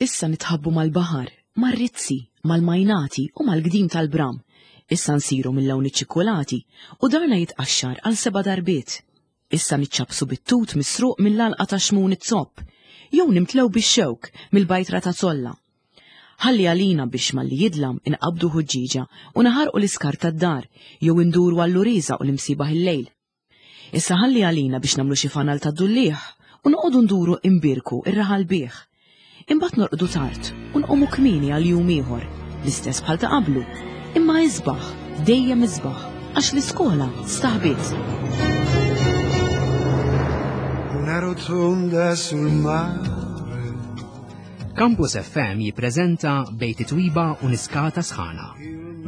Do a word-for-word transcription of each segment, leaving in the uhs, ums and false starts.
Issa nitħabbu mal-baħar, mar-rizzi, mal-majnati u mal-gdim tal-bram. Issa nsiru mill-lawn iċ-ċikkulati u darna jitqaxxar għal seba' darbiet. Issa niċċabsu bit-tut misruq mill-alqa ta' xmun it-zopp, jew nimtlew bix-xewk mill-bajtra ta' zolla. Ħalli għalina biex malli jidlam inqabdu ħuġġieġa u naħarqu l-iskar tad-dar jew induru għall-uriża u l-imsibaħ il-lejl. Issa ħalli għalina biex nagħmlu xi fanal ta' dulliħ u noqogħdu nduru imbirku ir-raħal bih. Imbagħad norqdu tard u nqumu kmieni għal jum ieħor, l-istess bħal ta' qablu, imma isbaħ, dejjem isbaħ, għax l-iskola staħbiet. Una rotonda sul mare. Campus F M jippreżenta Bejt Twiba u Niskata Sħana.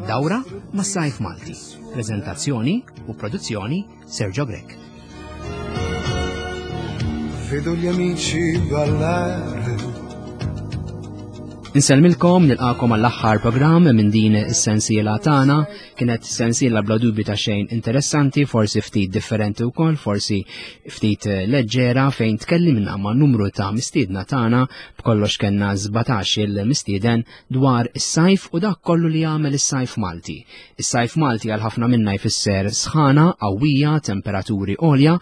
Dawra mas-Sajf Malti. Prezentazzjoni u produzzjoni Sergio Grech. Vedo gli amici ballare. Insellmilkom, nilqakom għall-aħħar programm minn din is-sensiela tagħna. Kienet sensiela bla dubju ta' xejn interessanti, forsi ftit differenti wkoll, forsi ftit leġġera, fejn tkellimna ma' numru ta' mistiedna tagħna, b'kollox kellna sbatax il-mistieden, dwar is-sajf u dak kollu li jagħmel is-sajf Malti. Is-sajf Malti għal ħafna minna jfisser sħana qawwija, temperaturi għolja,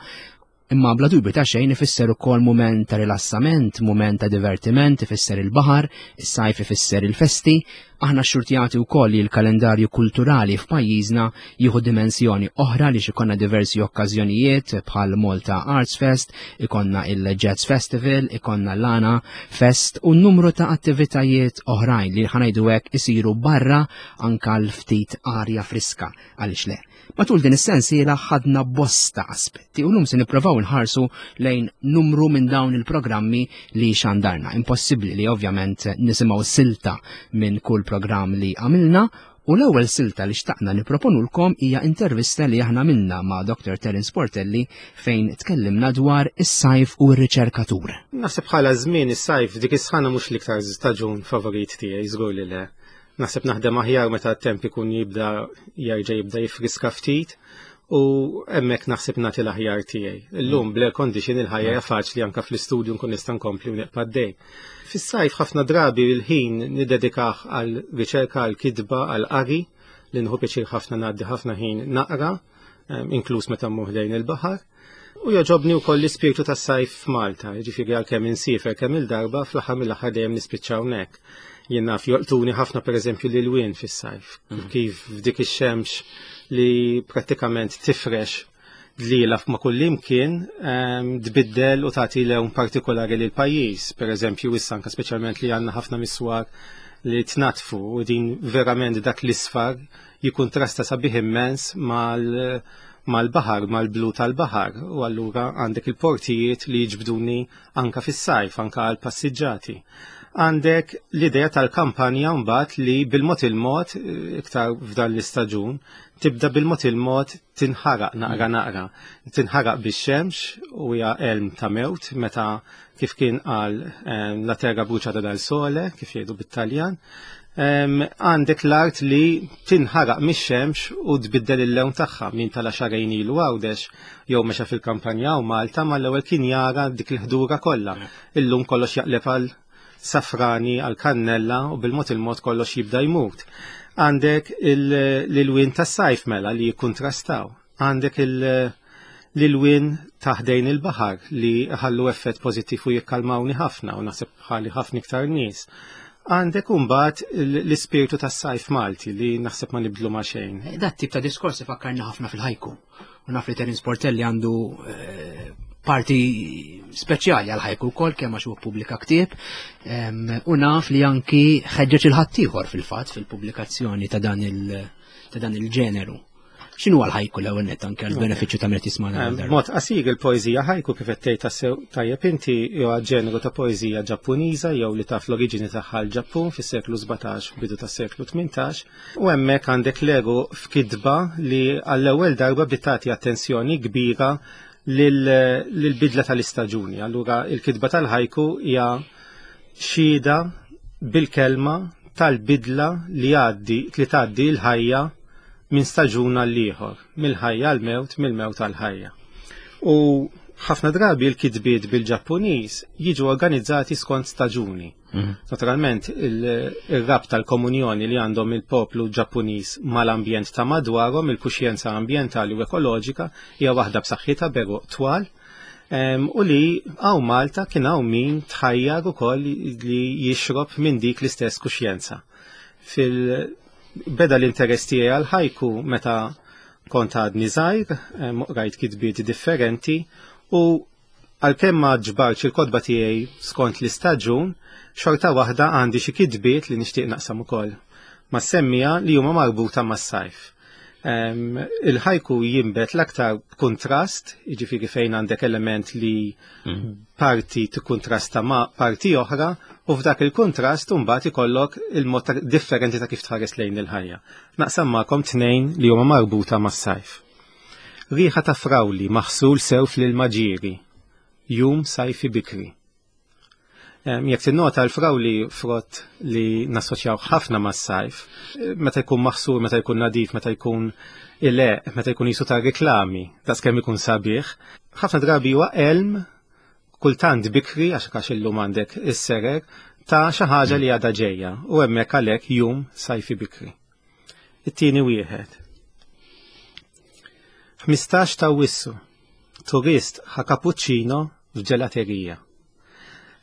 imma bla dubju ta' xejn ifisser ukoll mument ta' rilassament, mument ta' divertiment, ifisser il-baħar, is-sajf ifisser il-festi. Aħna xxurtjati wkoll li l-kalendarju kulturali f'pajjiżna jieħu dimensjoni oħra li ikollna diversi okkażjonijiet bħal Malta Arts Fest, ikollna il-Jazz Festival, ikollna l-Għana Fest u numru ta' attivitajiet oħrajn li, ħa ngħidu hekk, isiru barra anka l-ftit arja friska, għaliex le. Matul din is-sensiela ħadna bosta aspetti u llum se nipprovaw nħarsu lejn numru minn dawn il-programmi li xandarna. Impossibbli li ovvjament nisimgħu silta minn kull programm li għamilna, u l-ewwel silta li xtaqna nipproponulkom hija intervista li aħna għamilna ma' Doctor Terence Portelli fejn tkellimna dwar is-sajf u r-riċerkatur. Naħseb bħala żmien is-sajf, dik is-sħana, mhux l-iktar staġun favorit tiegħi, żgur li le. Naħseb naħdem aħjar meta t-temp ikun jibda jerġa' jibda jifriska ftit u hemmhekk naħseb nagħti l-aħjar tiegħi. Illum bl-air condition il-ħajja hija faċli, anke fl-istudju nkun nista' nkompli u nibqa' għaddej. Fis-sajf ħafna drabi il-ħin niddedikah għal riċerka, għal kitba, għal qari, li nieħu pjaċir ħafna ngħaddi ħafna ħin naqra, inkluż meta mmur lejn il-baħar. U jogħġobni wkoll l-ispirtu tas-sajf f'Malta, jiġifieri għalkemm insiefer kemm il-darba, fl-aħħar mill-aħħar dejjem nispiċċa hawnhekk. Jien naf jolqtuni ħafna, pereżempju, l-ilwien fis-sajf, kif f'dik ix-xemx li prattikament tifrex dlila ma' kull imkien tbiddel u tagħti lewn partikolari lil pajjiż. Pereżempju, issa anke speċjalment li għandna ħafna miswar li tnatfu u din verament dak l-isfar jikontrasta sabiħ immens mal mal-baħar, mal-blu tal-baħar, u allura għandek il-portijiet li jiġbduni anka fis-sajf, anka għal passiġġati. Għandek l-idea tal-kampanja mbagħad li bil-mod il-mod, iktar f'dan l-istaġun, tibda bil-mod il-mod tinħaraq naqra naqra. Tinħaraq bix-xemx u hija elm ta' mewt meta, kif kien qal, "la terra bruciata dal sole", kif jgħidu bit-Taljan. Għandek l-art li tinħaraq mix-xemx u tbiddel il-lewn tagħha. Min tela' xahrejn ilu Għawdex jew mexa fil-kampanja u Malta, mal-ewwel kien jara dik il-ħdura kollha. Illum kollox jaqleb għal safrani, għal kannella, u bil-mod il-mod kollox jibda jmut. Għandek l-ilwien tas-sajf mela li jikkontrastaw. Għandek l-ilwien ta' ħdejn il-baħar li ħallu effett pożittiv u jikkalmawni ħafna u naħseb bħali ħafna iktar nies. Għandek mbagħad l-ispirtu tas-sajf Malti li naħseb ma nibdlu ma' xejn. Dat tip ta' diskors ifakkarna ħafna fil-ħajku. U naf li Terence Portelli għandu eh, parti speċjali għal ħajku wkoll, kemm għax huwa pubblika ktieb, u naf li anki ħeġġeġ il-ħaddieħor fil-fatt fil-pubblikazzjoni ta' dan il- ta' dan il-ġeneru. X'inhu għal ħajku l-ewwel nett, anke għall-benefiċċju ta' meta jismagħna? Mod qasir, il-poeżija ħajku, kif qed tgħid tassew tajjeb inti, huwa ġeneru ta' poeżija Ġappuniża jew li taf l-oriġini tagħha l-Ġappun fis-seklu sbatax, bidu tas-seklu tmintax, u hemmhekk għandek l-ego f'kitba li għall-ewwel darba bdiet tagħti attenzjoni kbira lill-bidla tal-istaġuni. Allura il-kitba tal-ħajku hija xhieda bil-kelma tal-bidla li għaddi li tgħaddi l-ħajja minn staġun għal ieħor, mill-ħajja għal mewt, mill-mewt għal ħajja. U ħafna drabi l-kitbiet bil-Ġappuniż jiġu organizzati skont staġuni. Mm. Naturalment, il-rabta tal-komunjoni li għandhom il-poplu Ġappuniż mal-ambjent ta' madwarhom, il-kuxjenza ambjentali u ekoloġika, hija waħda b'saħħitha b'għeruq twal, u li hawn Malta kien hawn min tħajjar ukoll li jixrob minn dik l-istess kuxjenza. Fil-beda l-interess tiegħi għal ħajku meta kont għadni żgħir, rajt kitbiet differenti u għalkemm ma ġbartx il-kotba tiegħi skont l-istaġun, xorta waħda għandi xi kitbiet li nixtieq naqsam ukoll mas-semmiegħa li huma marbuta mas-sajf. Il-ħajku jinbet l-aktar kontrast, jiġifieri fejn għandek element li mm. parti tikkontrasta ma' parti oħra, u f'dak il-kontrast mbagħad ikollok il-mod differenti ta' kif tħares lejn il-ħajja. Naqsam magħkom tnejn li huma marbuta mas-sajf. Riħa ta' frawli maħsul sew fl-ilma ġieri, jum sajfi bikri. Jekk tinnota, l-frawli frott li nassoċjaw ħafna mas-sajf, meta jkun maħsul, meta jkun nadif, meta jkun ile, meta jkun jisu ta' reklami, ta' skemm ikun sabiħ, ħafna drabi huwa elm, kultant bikri, għax għax illum għandek is-serer, ta' xi ħaġa li għadha ġejja, u hemmhekk għalhekk jum sajfi bikri. It-tieni wieħed. ħmistax ta' Awwissu, turist ħa cappuccino f'ġelaterija.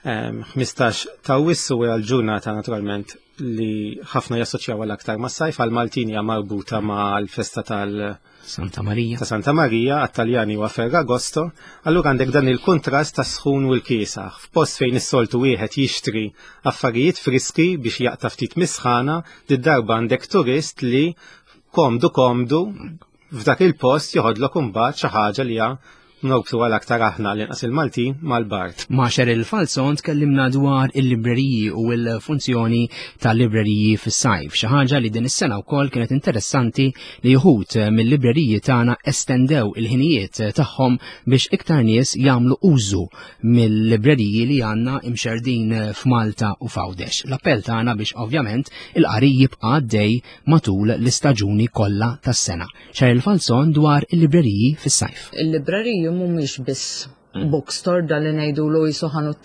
ħmistax ta' Awwissu hija l-ġurnata naturalment li ħafna jassoċjaw l-aktar mas-sajf, għal-Maltin hija marbuta mal-festa tal- Santa Maria. Ta' Santa Maria, għat-Taljani huwa Ferragosto, allura għandek dan il-kontrast ta' sħun u l-kiesaħ. F'post fejn is-soltu wieħed jixtri affarijiet friski biex jaqta' ftit misħana, did-darba għandek turist li komdu komdu f'dak il-post joħodlok imbagħad xi ħaġa li hija norbtu għal aktar aħna l-inqas il-Maltin mal-bard. Ma' Cheryl Falzon tkellimna dwar il-libreriji u l-funzjoni tal-libreriji fis-sajf. Xi ħaġa li din is-sena wkoll kienet interessanti li wħud mill-libreriji tagħna estendew il-ħinijiet tagħhom biex iktar nies jagħmlu użu mill-libreriji li għandna imxerdin f'Malta u f'Għawdex. L-appell tagħna biex ovvjament il-qari jibqa' għaddej matul l-istaġuni kollha tas-sena. Cheryl Falzon dwar il-libreriji fis-sajf. Il-libreriji mhumiex biss bookstore da li ngħidu jisu ħanut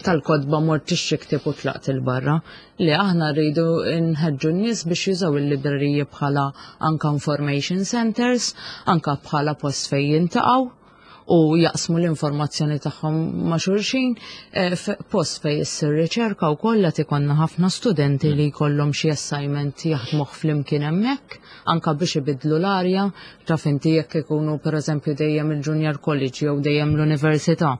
tal-kotba mort tixtri ktieb u tlaqt il-barra, li aħna rridu nħeġġu n-nies biex jużaw il-libreriji bħala anka information centers, anka bħala post fejn jintaqgħu u jaqsmu l-informazzjoni tagħhom ma' xulxin, eh, post fejn issir riċerka u kollha ikollna ħafna studenti li jkollhom xi assignment jaħdmuh flimkien hemmhekk, anka biex ibidlu l-arja, taf inti jekk ikunu pereżempju dejjem il-junior college jew dejjem l-università.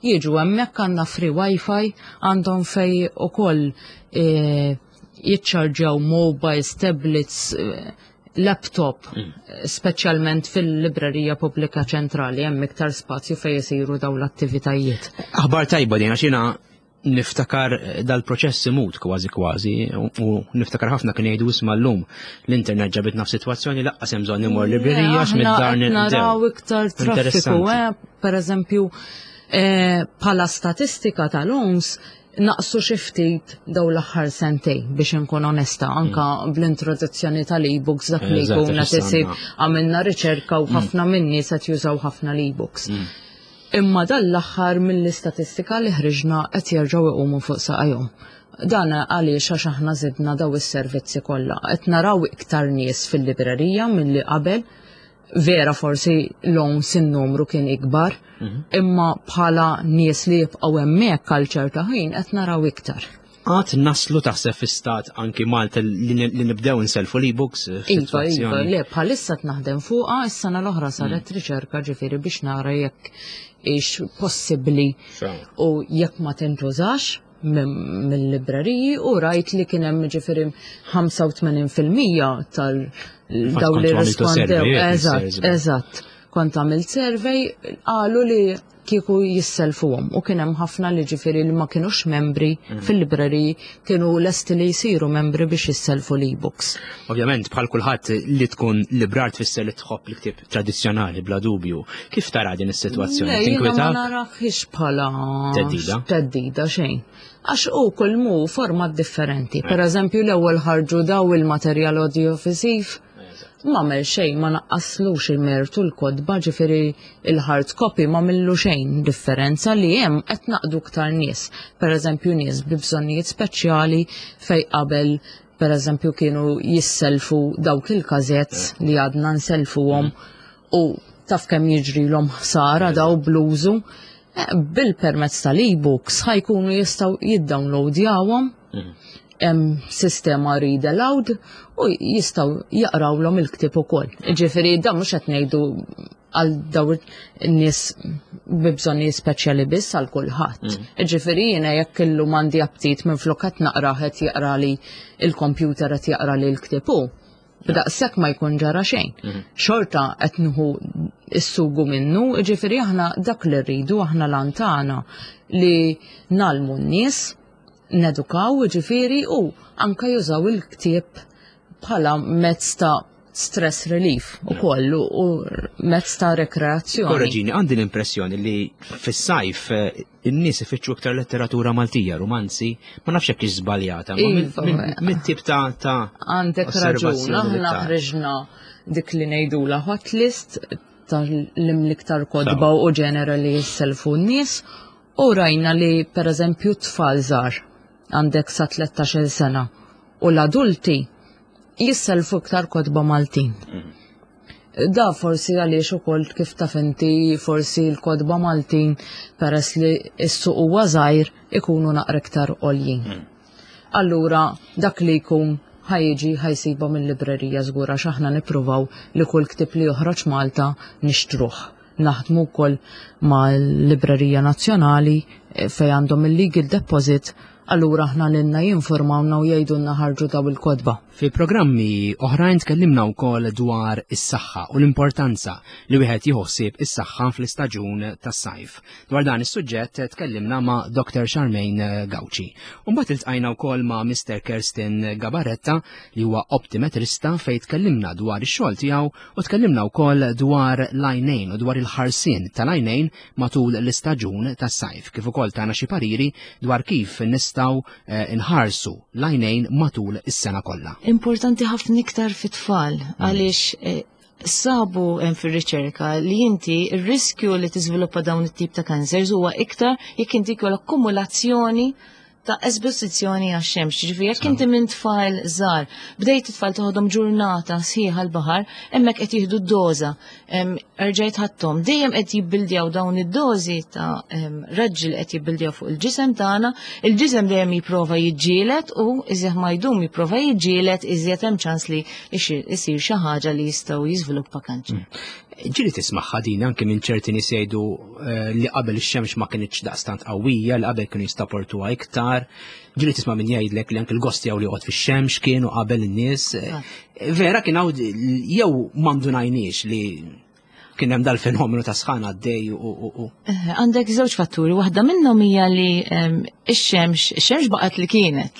Jiġu hemmhekk, għandna free wifi, għandhom fej ukoll eh, jiċċarġjaw mobiles, tablets, eh, laptop, mm. speċjalment fil-librerija pubblika ċentrali, hemm iktar spazju fejn isiru dawn l-attivitajiet. Aħbar tajba din, għax jiena niftakar dal-proċess imut kważi kważi u niftakar ħafna kien jgħidu, "Isma', llum l-internet ġabitna f'sitwazzjoni lanqas hemm bżonn immur librerija għax mid-dar." Naraw iktar traffiku, eh, per eżempju, eh, bħala statistika tal-O N S naqsu xi ftit daw l-aħħar sentej, biex inkun onesta, anka mm. bl-introduzzjoni tal-e-books, dak li jkun qed isir, għamilna riċerka u mm. ħafna minni se jużaw ħafna l-e-books. Mm. Imma dan l-aħħar mill-istatistika li ħriġna qed jerġgħu iqumu fuq saqajhom. Dan għaliex għax aħna żidna daw is-servizzi kollha. Qed naraw iktar nies fil-librerija milli qabel. Vera forsi l-O N S in-numru kien ikbar, mhm. imma bħala nies li jibqgħu hemmhekk għal ċerta ħin qed naraw iktar. Għad naslu taħseb fi stat anki Malta li nibdew nselfu l-e-books? Iva, iva, le, bħalissa naħdem fuqha, is-sena l-oħra saret mm. riċerka ġifieri biex nara jekk ix possibbli u jekk ma tintużax mill-libreriji, u rajt li kien hemm ġifieri ħamsa u tmenin fil-mija tal daw li rispondew. Eżatt, eżatt. Kont għamilt survey, qalu li kieku jisselfuhom u kien hemm ħafna li ġifieri li ma kienux membri mm. fil-libreriji kienu lesti li jsiru membri biex jisselfu l-e-books. Ovvjament, bħal kulħadd, li tkun librar tfisser li tħobb l-ktieb tradizzjonali bla dubju. Kif tara din is-sitwazzjoni? Tinkwita? Ma naraħiex bħala teddida. Teddida xejn. Għax u kull mu format differenti. Per eżempju, l-ewwel ħarġu daw il-materjal audiovisiv. M'għamel xejn, ma naqqaslux il-mertu l-kotba, ġifieri il-hard copy ma għamillu xejn differenza li hemm qed naqdu iktar nies. Per eżempju nies bi bżonnijiet speċjali fej qabel per eżempju kienu jisselfu dawk il-gazzetti li għadna nselfuhom u taf kemm jiġrilhom ħsara daw bl-użu. Eh, Bil-permezz tal-e-books ħa jkunu jistgħu jiddownloadjawhom hemm sistema read aloud u jistgħu jaqrawlhom il-ktieb ukoll. Ġifieri dan mhux qed ngħidu għal daw in-nies bi bżonnijiet speċjali biss għal kulħadd. Ġifieri jiena jekk illum għandi aptit minn flok qed naqra qed jaqra li il-computer qed jaqra li l-ktieb hu. B'daqshekk ma jkun ġara xejn. Xorta qed nieħu is-sugu minnu, ġifieri aħna dak li rridu aħna lantana li ngħallmu n-nies nedukaw ġifieri u anka jużaw il-ktieb bħala mezz ta' stress relief u kollu u mezz ta' rekreazzjoni. Korreġini, għandi l-impressjoni li fis-sajf eh, in-nies ifittxu iktar letteratura Maltija, romanzi, ma nafx hekk żbaljata, ma minn- Iva, minn- mit-tip ta' ta' Għandek raġun, osservazzjoni li aħna ta' ħriġna dik li ngħidula hot list tal-iktar kotba u ġenera li jisselfu n-nies u rajna li per eżempju tfal żgħar għandek sa tlettax-il sena u l-adulti jisselfu iktar kotba Maltin. Da forsi għaliex ukoll kif taf inti forsi l-kotba Maltin peress li s-suq huwa żgħir ikunu naqra iktar għoljin. Allura dak li jkun ħa jiġi ħa jsibha mill-librerija żgur għax aħna nippruvaw li kull ktieb li joħroġ Malta nixtruh. Naħdmu wkoll mal-Librerija Nazzjonali eh, fej għandhom il-legal deposit, allura aħna lilna jinformawna u jgħidulna ħarġu daw il-kotba. Fi programmi oħrajn tkellimna wkoll dwar is-saħħa u l-importanza li wieħed jħossib is-saħħa fl-istaġun tas-sajf. Dwar dan is-suġġett tkellimna ma' Doctor Charmaine Gauci. U mbagħad iltqajna wkoll ma' Mister Kerstin Gabaretta li huwa optimetrista fejn tkellimna dwar ix-xogħol tiegħu u tkellimna wkoll dwar l-għajnejn u dwar il-ħarsien tal-għajnejn matul l-istaġun tas-sajf, kif ukoll tana xi pariri dwar kif nistgħu eh, nħarsu l-għajnejn matul is-sena kollha. Importanti ħafna iktar fit-tfal għaliex eh, sabu hemm fir-riċerka li inti ir-riskju li tiżviluppa dawn it-tip ta' cancers huwa iktar jekk inti jkollok akkumulazzjoni ta' esposizzjoni għax-xemx. Ġifieri jekk inti minn tfal żgħar bdejt it-tfal toħodhom ġurnata sħiħa l-baħar, hemmhekk qed jieħdu d-doża, em, erġajt ħadthom, dejjem qed jibbildjaw dawn id-dożi ta' em, raġġi li qed jibbildjaw fuq il-ġisem tagħna, il-ġisem dejjem jipprova jiġġieled u iżjed ma jdum jipprova jiġġieled iżjed hemm ċans li ixir- isir xi ħaġa li jistgħu jiżviluppa kanċer. Ġieli tismagħha din anke minn ċerti nies jgħidu eh, li qabel ix-xemx ma kinitx daqstant qawwija, li qabel kienu jissaportuha iktar. Ġieli tisma' min jgħidlek li anke l-gost jew li joqgħod fix-xemx kienu qabel in-nies. Eh, Vera kien hawn jew m'indunajniex li kien hemm dal-fenomenu ta' sħana għaddej u u u. Eh, Għandek żewġ fatturi, waħda minnhom hija li em, ix-xemx, ix-xemx baqgħet li kienet,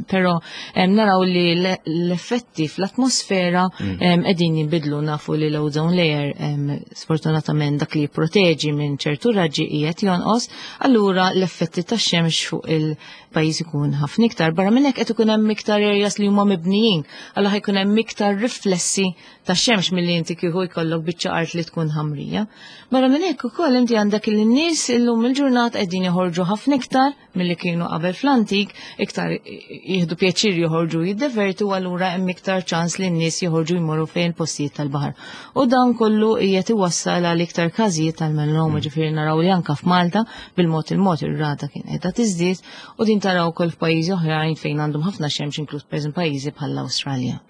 però em, naraw li l- l-effetti fl-atmosfera em, qegħdin jinbidlu. Nafu li l-ozone layer em, sfortunatament dak li jipproteġi minn ċertu raġġi qiegħed jonqos, allura l-effetti tax-xemx fuq il-pajjiż ikun ħafna iktar. Barra minn hekk qed ikun hemm iktar areas li huma mibnijin, allura ħa jkun hemm iktar riflessi tax-xemx milli inti kieku jkollok biċċa art li tkun ħamrija. Barra minn hekk ukoll inti għandek il-nies illum il-ġurnata qegħdin joħorġu ħafna iktar milli kienu qabel fl-antik, iktar jieħdu pjaċir joħorġu jiddevertu, allura hemm iktar ċans li n-nies joħorġu jmorru fejn postijiet tal-baħar. U dan kollu qiegħed iwassal għal iktar każijiet tal-melanoma, ġifieri naraw li anka f'Malta bil-mod il-mod ir-rata kien qiegħda tiżdied u din taraw ukoll f'pajjiżi oħrajn fejn għandhom ħafna xemx, inkluż pereżempju pajjiżi bħall-Awstralja.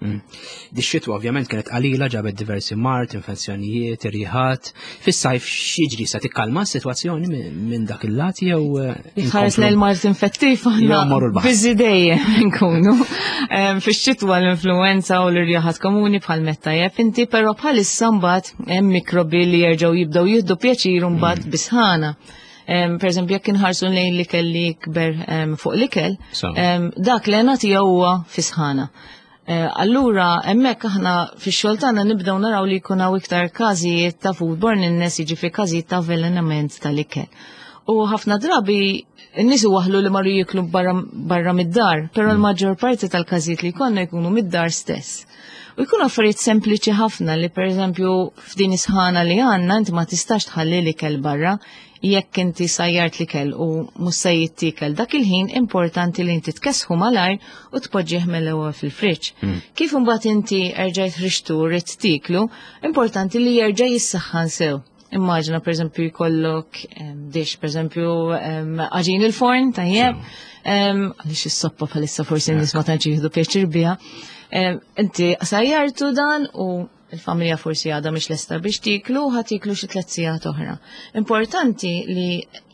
Di xitwa ovvjament kienet qalila, ġabet diversi mard, infezzjonijiet, irjiħat. Fis-sajf x'jiġri, sa tikkalma s-sitwazzjoni minn minn dak il-lat jew eh, Jitħares inkomplu? lejn mard infettiv Jew aħna mmorru l-baħar. busy dejjem nkunu. Em, Fix-xitwa l-influenza u l-irjaħat komuni bħal meta tajjeb inti, però bħalissa mbagħad hemm mikrobi li jerġgħu jibdew jieħdu pjaċir mbagħad bisħana. Em, Per eżempju, jekk inħarsu lejn l-ikel li jikber em, fuq l-ikel, So. em, dak l-għena tiegħu huwa fisħana. Eh, Allura, hemmhekk aħna fix-xogħol tagħna nibdew naraw li jkun hawn iktar każijiet ta' foodborne illness, jiġifieri każijiet ta' avvelenament tal-ikel. U ħafna drabi n-nies waħlu li marru jiklu barra, barra mid-dar, però l-maġġor parti tal-każijiet li jkollna jkunu mid-dar stess. U jkunu affarijiet sempliċi ħafna li pereżempju f'din is-sħana li għandna inti ma tistax tħalli l-ikel barra jekk inti sajjart l-ikel u mhux se jittiekel dak il-ħin, importanti li inti tkessħu malajr u tpoġġih mill-ewwel fil-friġġ. Kif imbagħad inti erġajt ħriġtu ridt tieklu, importanti li jerġa' jissaħħan sew. Immaġina pereżempju jkollok em, dish, pereżempju em, għaġin il-forn, tajjeb, em, għaliex is-soppa bħalissa forsi n-nies ma tantx jieħdu pjaċir biha. Em, Inti sajjartu dan u il-familja forsi għadha mhix lesta biex tiklu, ħa tiklu xi tliet sigħat oħra. Importanti li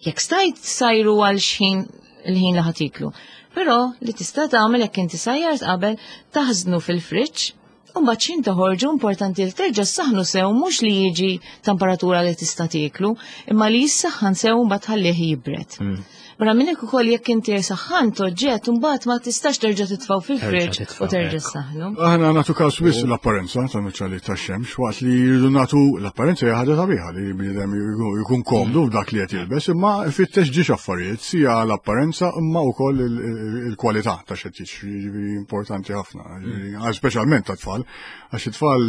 jekk stajt sajru għal xħin il-ħin li ħa tiklu. Però li tista' tagħmel jekk inti sajjart qabel, taħżnu fil-friġġ u mbagħad x'ħin toħorġu importanti li terġa' ssaħnu sew, mhux li jiġi temperatura li tista' tieklu, imma li jissaħħan sew u mbagħad ħallih jibred. Barra minn hekk ukoll, jekk inti saħħant oġġett, mbagħad ma tistax terġa' titfgħu fil-friġġ titfgħu, u terġa' ekku. ssaħħnu. Aħna nagħtu każ wisq l-apparenza ta' nuċċali ta' xemx, waqt li jridu nagħtu l-apparenza hija ħaġa sabiħa li bniedem jkun komdu f'dak li qed jilbes, imma fittex ġiex affarijiet, sija l-apparenza imma wkoll il- il- il-kwalità ta' x'qed jixtri, jiġifieri importanti ħafna, jiġifieri, speċjalment ta' tfal, għax it-tfal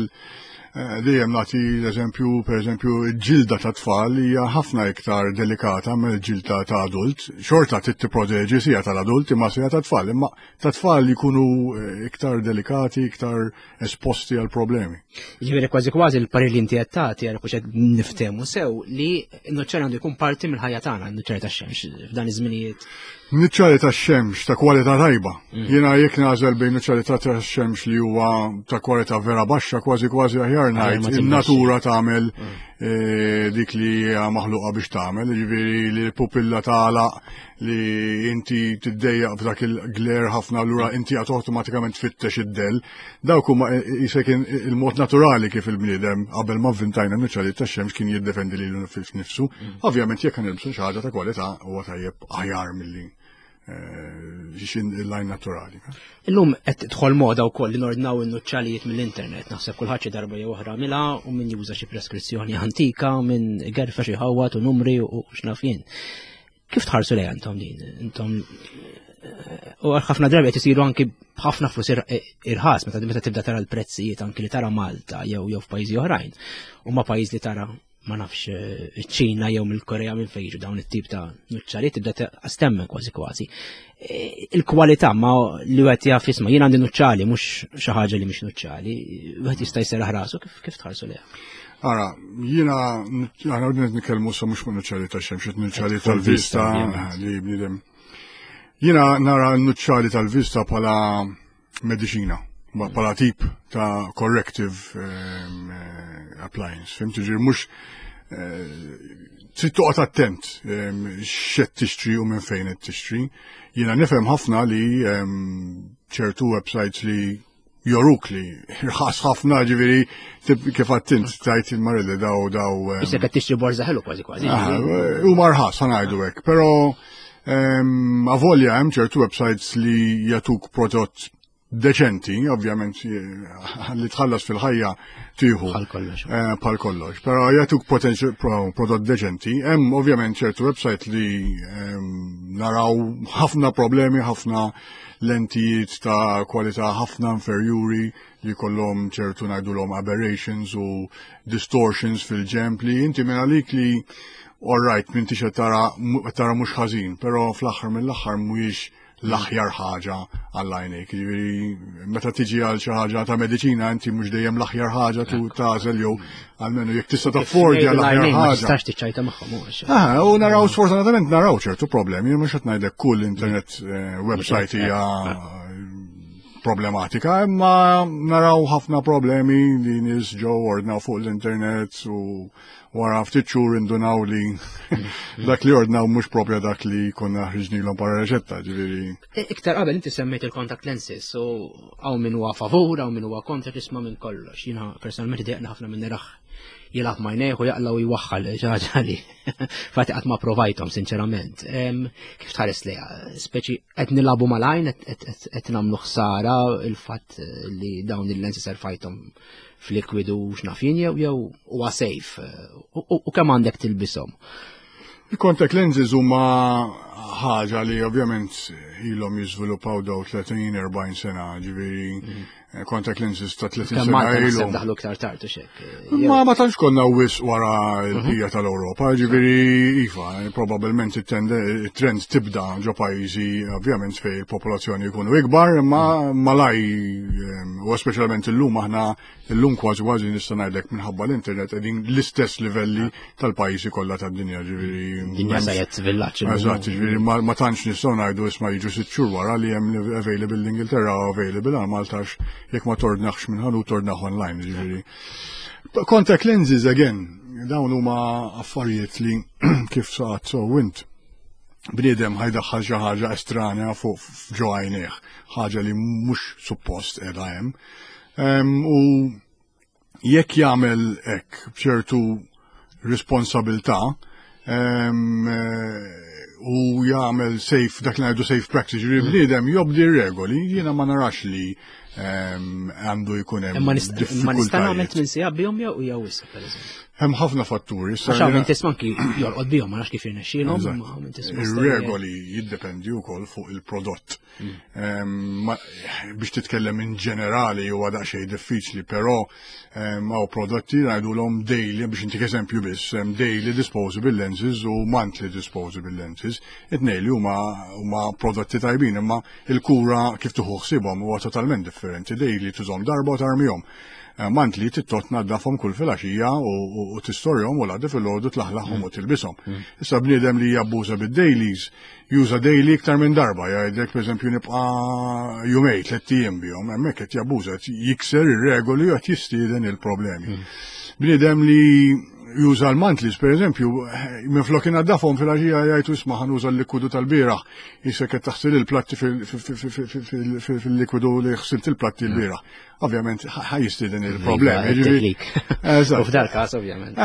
eh, dejjem nagħti l-eżempju, pereżempju, il-ġilda ta' tfal hija ħafna iktar delikata mill-ġilda ta' adult. Xorta trid tipproteġi sija tal-adult imma sija ta' tfal, imma ta' tfal jkunu eh, iktar delikati, iktar esposti għal problemi. Ġifieri kważi kważi l-parir li inti qed tagħti għal qed niftehmu sew li n-nuċċali għandu jkun parti mill-ħajja tagħna, n-nuċċali tax-xemx f'dan iż-żminijiet. Nuċċali ta' xemx ta' kwalità tajba. Jiena jekk nagħżel bejn nuċċali ta' xemx li huwa ta' kwalità vera baxxa, kważi kważi aħjar Aħjar ma ngħid tilbisx. in-natura tagħmel eh, dik li hija maħluqa biex tagħmel, jiġifieri li l-pupilla tagħlaq, li inti tiddejjaq f'dak il-glare ħafna, allura inti għad awtomatikament tfittex id-del. Dawk huma jisek il-mod naturali kif il-bniedem qabel ma vvintajna nuċċali ta' xemx kien jiddefendi lilu nifsu. Ovvjament jekk nilbsu xi ħaġa ta' kwalità huwa tajjeb aħjar milli eh, xin il-lajn naturali. Illum qed tidħol moda wkoll li nordnaw in-nuċċalijiet mill-internet. Naħseb kulħadd xi darba jew oħra mila u min juża xi preskrizzjoni antika, min gerfa xi ħawat u numri u x'naf jien. Kif tħarsu lejha intom din? Intom eh, u ħafna drabi qed isiru anki b'ħafna flus ir- irħas meta meta tibda tara l-prezzijiet anki li tara Malta jew jew f'pajjiżi oħrajn. U ma pajjiż li tara, ma nafx, eh, iċ-Ċina jew mill-Korea minn fejn jiġu dawn it-tip ta' nuċċali, tibda astemmen kważi kważi. Eh, Il-kwalità ma li wieħed jaf jisma' jien għandi nuċċali mhux xi ħaġa li mhix nuċċali, wieħed jista' jserraħ rasu. kif kif tħarsu lejha? Ara, jiena, aħna għodna nitkellmu sa mhux fuq nuċċali ta' xemx, nuċċali tal-vista ovvjament. li bniedem. Jiena nara n-nuċċali tal-vista bħala mediċina, ma bħala tip ta' corrective ehm, eh, appliance. Fhimt, ġifieri mhux eh, trid toqgħod attent ehm, x'qed tixtri u minn fejn qed tixtri. Jiena nifhem ħafna li ehm, ċertu websites li joruk li irħas ħafna, ġifieri tip- kif għattint tajt il-Marilli daw daw ehm, Issa qed tixtri borża ħelu kważi kważi. Ah, U marħas, ħa ngħidu hekk, pero ehm, avolja hemm ċertu websites li jagħtuk prodott deċenti, ovvjament eh, li tħallas fil-ħajja tieħu. Bħal kollox. Eh, Bħal kollox, pero jagħtuk potential pro- prodott deċenti. Hemm ovvjament ċertu website li ehm, naraw ħafna problemi, ħafna lentijiet ta' kwalità ħafna inferjuri li kollhom ċertu ngħidulhom aberrations u distortions fil-ġemp li inti minn għalik li all right, m'intix qed tara tara mhux ħażin, però fl-aħħar mill-aħħar mhuwiex l-aħjar ħaġa għall-għajnejk. Ġifieri meta tiġi għal xi ħaġa ta' mediċina, inti mhux dejjem l-aħjar ħaġa tu tagħżel jew almenu jekk tista' taffordja l-aħjar L-għajnejn ma ħaġa. tistax tiċċajta magħhom mhux. Ah, u naraw, sfortunatament naraw ċertu problemi, mhux qed ngħidlek kull internet eh, website hija problematika, imma naraw ħafna problemi li nies ġew ordnaw fuq l-internet u wara ftit xhur indunaw li dak li ordnaw mhux propja dak li konna ħriġnilhom para reċetta, ġifieri. Iktar qabel inti semmejt il-contact lenses, u hawn min huwa favur, hawn min huwa kontra, tisma' minn kollox. Jiena personalment dejqna ħafna minn naraħ jilgħab m'għajnejh u jaqla u jwaħħal ħaġa li fati qatt ma provajthom sinċerament. Em, Kif tħares lejha? Speċi qed nilagħbu mal-għajn, qed- qed qed nagħmlu ħsara il-fatt li dawn il-lenses erfajthom f'likwidu x'naf jien jew jew huwa safe u- u u kemm għandek tilbishom? Il-contact lenses huma ħaġa li ovvjament ilhom jiżviluppaw daw tletin erbgħin sena, ġifieri mhm. contact lenses ta' tletin sena ilhom. Daħlu iktar tard u xek. Ma ma tantx konna wis wara l-bqija tal-Ewropa, ġifieri iva, probabbilment it-trend tibda ġo pajjiżi ovvjament fej il-popolazzjoni jkunu ikbar, imma malaj u speċjalment illum, aħna illum kważi kważi nista' ngħidlek minħabba l-internet qegħdin l-istess livelli tal-pajjiżi kollha tad-dinja, ġifieri. Dinja saret villaġġ. Eżatt, ġifieri ma tantx nistgħu ngħidu isma' jiġu sitt xhur wara li hemm available l-Ingilterra u available għal Malta, jekk ma tordnax minn ħanut tordnax online, ġifieri. Contact lenses again, dawn huma affarijiet li kif saqat so int bniedem ħa jdaħħal xi ħaġa estranja fuq ġo għajnejh, ħaġa li mhux suppost qiegħda hemm. U jekk jagħmel hekk b'ċertu responsabilità u jagħmel safe, dak li ngħidu safe practice, ġifieri mm. bniedem jobdi regoli, jiena ma narax li għandu jkun hemm. Ma nista' nagħmel tmien sigħat bihom jew jew wisq, pereżempju? Hemm ħafna fatturi. Għax hawn tisma' anki jorqod bihom, ma nafx kif jirnexxielhom. Ir-regoli jiddependi wkoll fuq il-prodott. Mm. Biex titkellem in ġenerali huwa daqsxejn diffiċli, però hawn prodotti ngħidulhom daily, biex intik eżempju biss, daily disposable lenses u monthly disposable lenses. It-tnejn li huma huma prodotti tajbin, imma il-kura kif tieħu ħsiebhom huwa totalment differenti. Daily tużhom darba u tarmihom. Eh, monthly trid tnaddafhom kull filgħaxija u tistorjhom u l-għada filgħodu tlaħlaħhom u tilbishom. Mm. Issa bniedem li jabbuża bid-dailies, juża daily iktar minn darba, jgħidlek pereżempju nibqa' jumejn, tliet ijiem bihom, hemmhekk qed jabbuża, jikser ir-regoli u qed jistieden il-problemi. Mm. Bniedem li juża l-monthlies, per eżempju, minn flok inaddafhom fil-għaxija jgħidu isma' ħa nuża l-likwidu tal-bieraħ, jisek qed taħsil il-platti fil-likwidu li ħsilt il-platti l-bieraħ. Ovvjament ħa jistieden il-problemi. U f'dal każ ovvjament.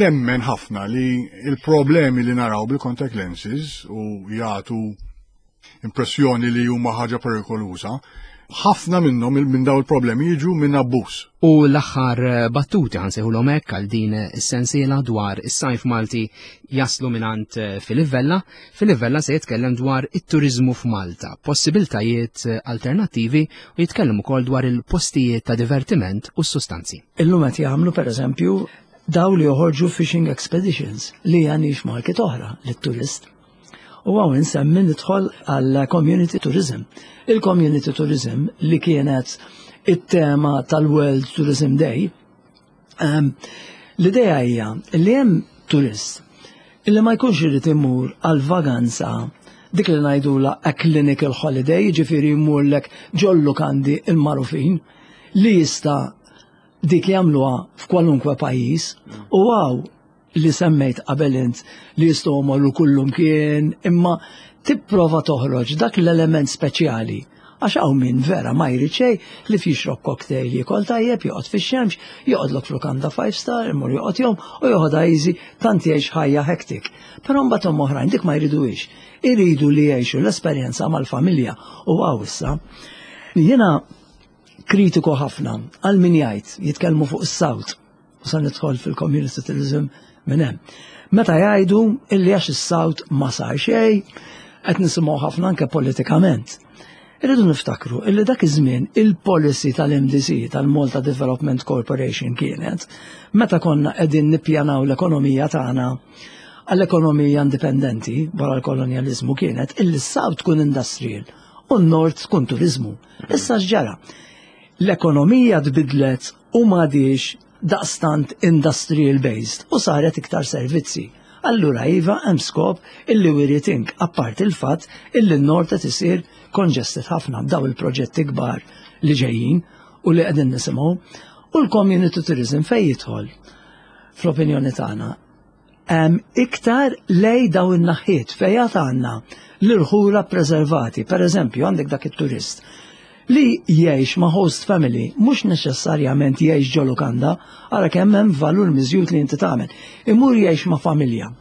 Nemmen ħafna li il-problemi li naraw bil-contact lenses u jagħtu impressjoni li huma ħaġa perikoluża, ħafna minnhom minn daw il-problemi jiġu minn abbuż. U l-aħħar battuti, ħa nsejħulhom hekk, għal din is-sensiela dwar is-sajf Malti jaslu mingħand Filip Vella. Filip Vella se jitkellem dwar it-turizmu f'Malta, possibiltajiet alternattivi u jitkellem ukoll dwar il-postijiet ta' divertiment u s-sustanzi. Illum qed jagħmlu, pereżempju, daw li joħorġu fishing expeditions li hija niche market oħra lit-turist. U hawn insemmi nidħol għal community tourism. Il-community tourism li kienet it-tema tal-World Tourism Day, um, l-idea hija li hemm turist illi ma jkunx irid imur għal vaganza dik li ngħidula a clinical holiday, ġifieri jmurlek ġol-lukandi il-magħrufin li jista' dik jagħmluha f'kwalunkwe pajjiż u hawn li semmejt qabel int li jistgħu jmorru kullum kien, imma tipprova toħroġ dak l-element speċjali. Għax hawn min vera ma jrid xejn li jixrob cocktail, jiekol tajjeb, joqgħod fix-xemx, joqgħodlok f'lukanda five star, imur joqgħod jom u joħodha easy, tant jgħix ħajja hectic. Però mbagħad hemm oħrajn dik ma jriduhiex. Iridu li jgħixu l-esperjenza mal-familja u hawn issa. Jiena kritiku ħafna għal min jgħid jitkellmu fuq is-South u sa nidħol fil-community tourism minn hemm. Meta jgħidu illi għax is-South ma sar xejn, qed nisimgħu ħafna anke politikament. Irridu niftakru illi dak iż-żmien il-policy tal-M D C, tal-Malta Development Corporation, kienet meta konna qegħdin nippjanaw l-ekonomija tagħna għall-ekonomija indipendenti wara l-kolonjalizmu, kienet illi s-South tkun industrial u n-North tkun turizmu. Issa x'ġara? L-ekonomija tbidlet u m'għadix daqstant industrial based u saret iktar servizzi. Allura iva, hemm skop illi we rethink, apart il-fatt illi n-Nord qed isir congested ħafna b'daw il-proġetti kbar li ġejjin u li qegħdin nisimgħu. U l-community tourism fejn jidħol, fl-opinjoni tagħna, hemm iktar lej daw in-naħħiet fejn għandna l-irħula preservati. Per eżempju, għandek dak it-turist li jgħix ma' host family, mhux neċessarjament jgħix ġo lukanda, ara kemm hemm valur miżjud li inti tagħmel. Imur jgħix ma' familja.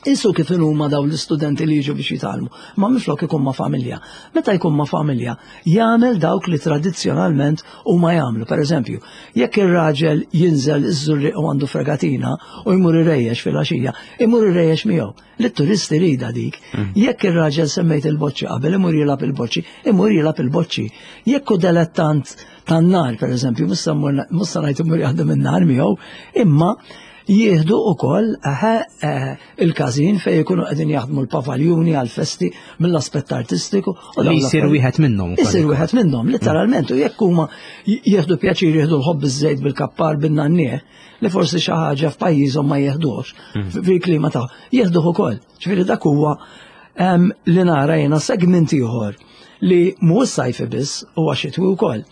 Isu kif huma daw l-istudenti li jiġu biex jitgħallmu, ma minflok ikun ma' familja. Meta jkun ma' familja, jagħmel dawk li tradizzjonalment huma jagħmlu. Per eżempju, jekk ir-raġel jinżel iż-Żurrieq u għandu fregatina u jmur irejjex fil-għaxija, imur irejjex miegħu. Lit-turisti rida dik. Jekk ir-raġel, semmejt il-boċċi qabel, imur jilgħab il-boċċi, imur jilgħab il-boċċi. Jekk hu dilettant tan-nar, per eżempju, mhux se ngħid imur jaħdem in-nar miegħu, imma jieħdu ukoll il-każin fejn jkunu qegħdin jaħdmu l-pavaljuni għal-festi mill-aspett artistiku. U li jsir wieħed minnhom. Isir wieħed minnhom, literalment, u jekk huma jieħdu pjaċir jieħdu l-ħobż iż-żejt bil-kappar bin-nagħniegħ, li forsi xi ħaġa f'pajjiżhom ma jieħdux fil-klima tagħhom, jieħduh ukoll. Ġifieri dak huwa li nara jiena segment ieħor li mhux sajfi biss, huwa xitwi wkoll.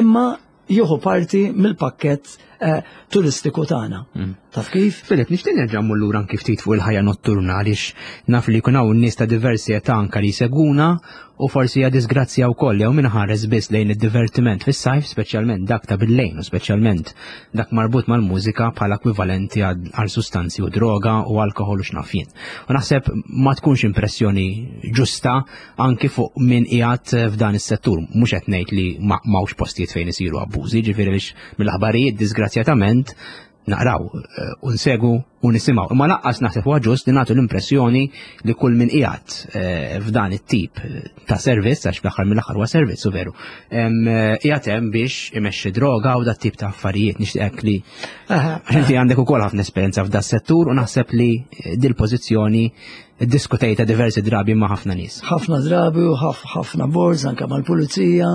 Imma jieħu parti mill-pakkett eh, turistiku tagħna. Mm. Taf kif? Filip, nixtieq nerġa' mmur lura anki ftit fuq il-ħajja notturna, għaliex naf li jkun hawn nies ta' diversi età anka li jseguna u forsi hija disgrazzja wkoll jew min ħares biss lejn id-divertiment fis-sajf, speċjalment dak ta' bil-lejn u speċjalment dak marbut mal-mużika, bħala ekwivalenti għal sustanzi u droga u alkohol u x'naf jien. U naħseb ma tkunx impressjoni ġusta anki fuq min qiegħed f'dan is-settur. Mhux qed ngħid li m'hawnx postijiet fejn isiru abbużi, ġifieri biex mill-aħbarijiet disgrazzjatament naqraw eh, u nsegu u nisimgħu. Imma lanqas naħseb huwa ġust li nagħtu l-impressjoni li kull min qiegħed eh, f'dan it-tip ta' servizz, għax fl-aħħar mill-aħħar huwa servizz u veru, eh, qiegħed hemm biex imexxi droga u dat tip ta' affarijiet. Nixtieqek li, għax inti għandek ukoll ħafna esperjenza f'da settur u naħseb li dil-pożizzjoni diskutejta diversi drabi ma' ħafna nies. Ħafna drabi u ħafna boards anke mal-pulizija.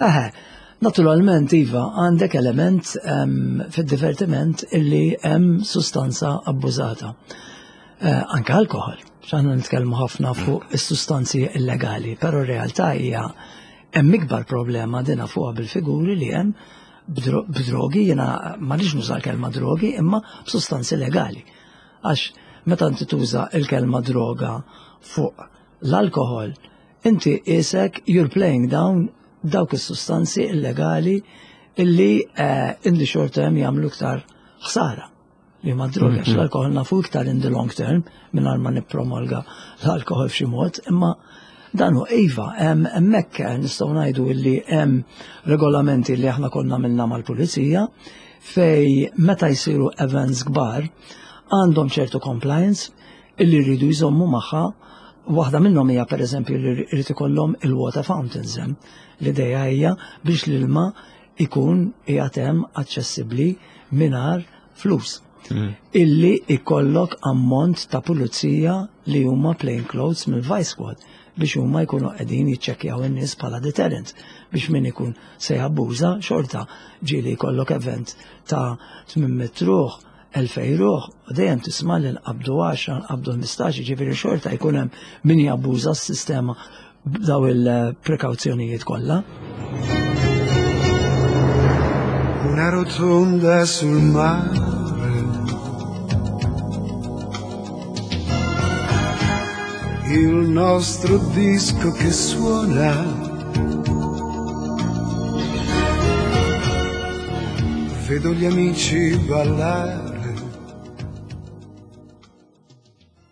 Eħe, naturalment, iva, għandek element um, fid-divertiment illi hemm sustanza abbużata. Uh, anke alkohol, x'aħna nitkellmu ħafna fuq is-sustanzi illegali, però r-realtà hija hemm ikbar problema dina fuqha bil-figuri li hemm b'drogi, jiena ma rridx nuża l-kelma drogi, imma b'sustanzi legali. Għax meta inti tuża il-kelma droga fuq l-alkohol, inti isek you're playing down dawk is-sustanzi illegali illi uh, in the short term jagħmlu iktar ħsara li ma droga, għax l-alkohol nafu iktar in the long term, mingħajr ma nippromulga l-alkohol f'xi mod, imma dan hu, iva, hemmhekk nistgħu ngħidu illi hemm regolamenti li aħna konna minna mal-pulizija fej meta jsiru events kbar għandhom ċertu compliance illi rridu jżommu magħha. Waħda minnhom hija, pereżempju, li jrid ikollhom il-water fountains hemm. L-idea hija biex l-ilma ikun qiegħed hemm aċċessibbli mingħajr flus. Mm. Illi ikollok ammont ta' pulizija li huma plain clothes mill-Vice Squad biex huma jkunu qegħdin jiċċekkjaw in-nies bħala deterrent biex min ikun se jabbuża xorta. Ġieli jkollok event ta' tmien mitt ruħ, elfejn ruħ, u dejjem tisma' li nqabdu għaxra, nqabdu ħmistax, ġifieri xorta jkun hemm min jabbuża s-sistema b'daw il-prekawzjonijiet kollha. Una rotonda sul mare. Il nostro disco che suona. Vedo gli amici ballare.